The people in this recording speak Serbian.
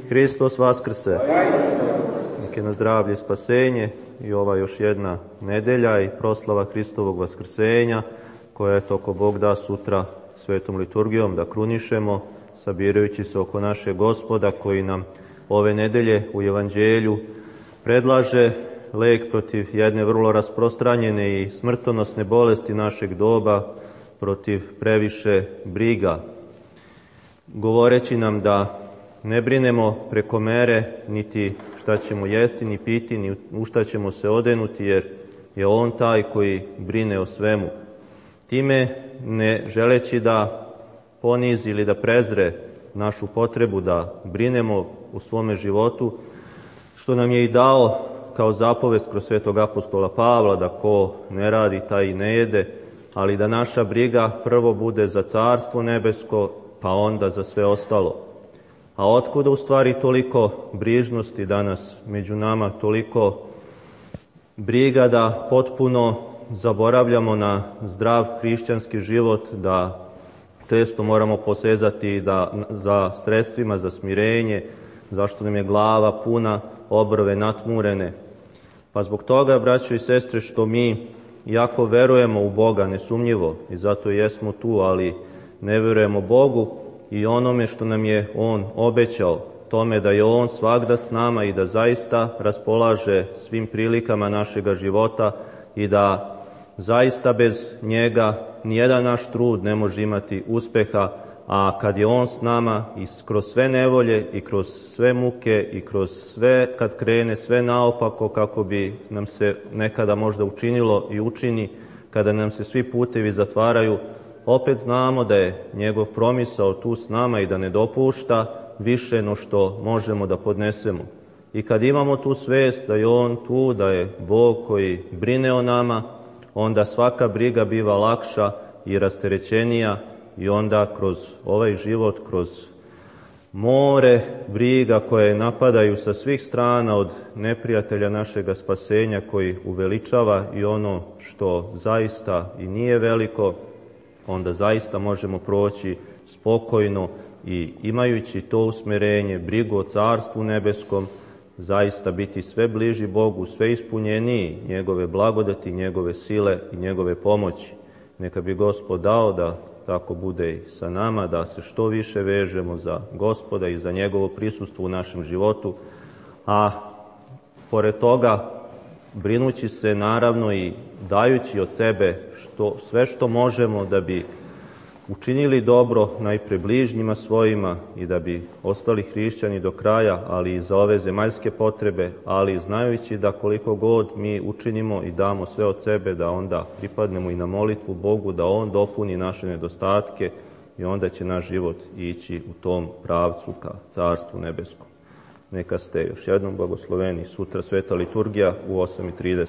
Hristos vaskrse. Nek je na zdravlje i spasenje i ova još jedna nedelja i proslava Hristovog vaskrsenja, koja je toko Bog da sutra svetom liturgijom da krunišemo, sabirajući se oko našeg Gospoda koji nam ove nedelje u Evanđelju predlaže lek protiv jedne vrlo rasprostranjene i smrtonosne bolesti našeg doba, protiv previše briga, govoreći nam da ne brinemo preko mere niti šta ćemo jesti, ni piti, ni u šta ćemo se odenuti, jer je On taj koji brine o svemu. Time ne želeći da ponizi ili da prezre našu potrebu da brinemo u svome životu, što nam je i dao kao zapovest kroz svetog apostola Pavla, da ko ne radi taj i ne jede, ali da naša briga prvo bude za Carstvo nebesko, pa onda za sve ostalo. A otkuda u stvari toliko brižnosti danas među nama, toliko briga da potpuno zaboravljamo na zdrav hrišćanski život, da često moramo posezati za sredstvima za smirenje, zašto nam je glava puna, obrve natmurene. Pa zbog toga, braćo i sestre, što mi, iako verujemo u Boga nesumnjivo, i zato jesmo tu, ali ne verujemo Bogu i onome što nam je On obećao, tome da je On svagda s nama i da zaista raspolaže svim prilikama našega života i da zaista bez njega nijedan naš trud ne može imati uspeha, a kad je On s nama i kroz sve nevolje i kroz sve muke i kroz sve, kad krene sve naopako kako bi nam se nekada možda učinilo i učini, kada nam se svi putevi zatvaraju, opet znamo da je njegov promisao tu s nama i da ne dopušta više no što možemo da podnesemo. I kad imamo tu svest da je On tu, da je Bog koji brine o nama, onda svaka briga biva lakša i rasterećenija i onda kroz ovaj život, kroz more briga koje napadaju sa svih strana od neprijatelja našega spasenja koji uveličava i ono što zaista i nije veliko, onda zaista možemo proći spokojno i imajući to usmerenje, brigu o Carstvu nebeskom, zaista biti sve bliži Bogu, sve ispunjeniji njegove blagodati, njegove sile i njegove pomoći. Neka bi Gospod dao da tako bude i sa nama, da se što više vežemo za Gospoda i za njegovo prisustvo u našem životu, a pored toga brinući se naravno i dajući od sebe sve što možemo da bi učinili dobro najpre bližnjima svojima i da bi ostali hrišćani do kraja, ali i za ove zemaljske potrebe, ali znajući da koliko god mi učinimo i damo sve od sebe, da onda pripadnemo i na molitvu Bogu, da On dopuni naše nedostatke i onda će naš život ići u tom pravcu ka Carstvu nebeskom. Neka ste još jednom blagosloveni. Sutra sveta liturgija u 8:30.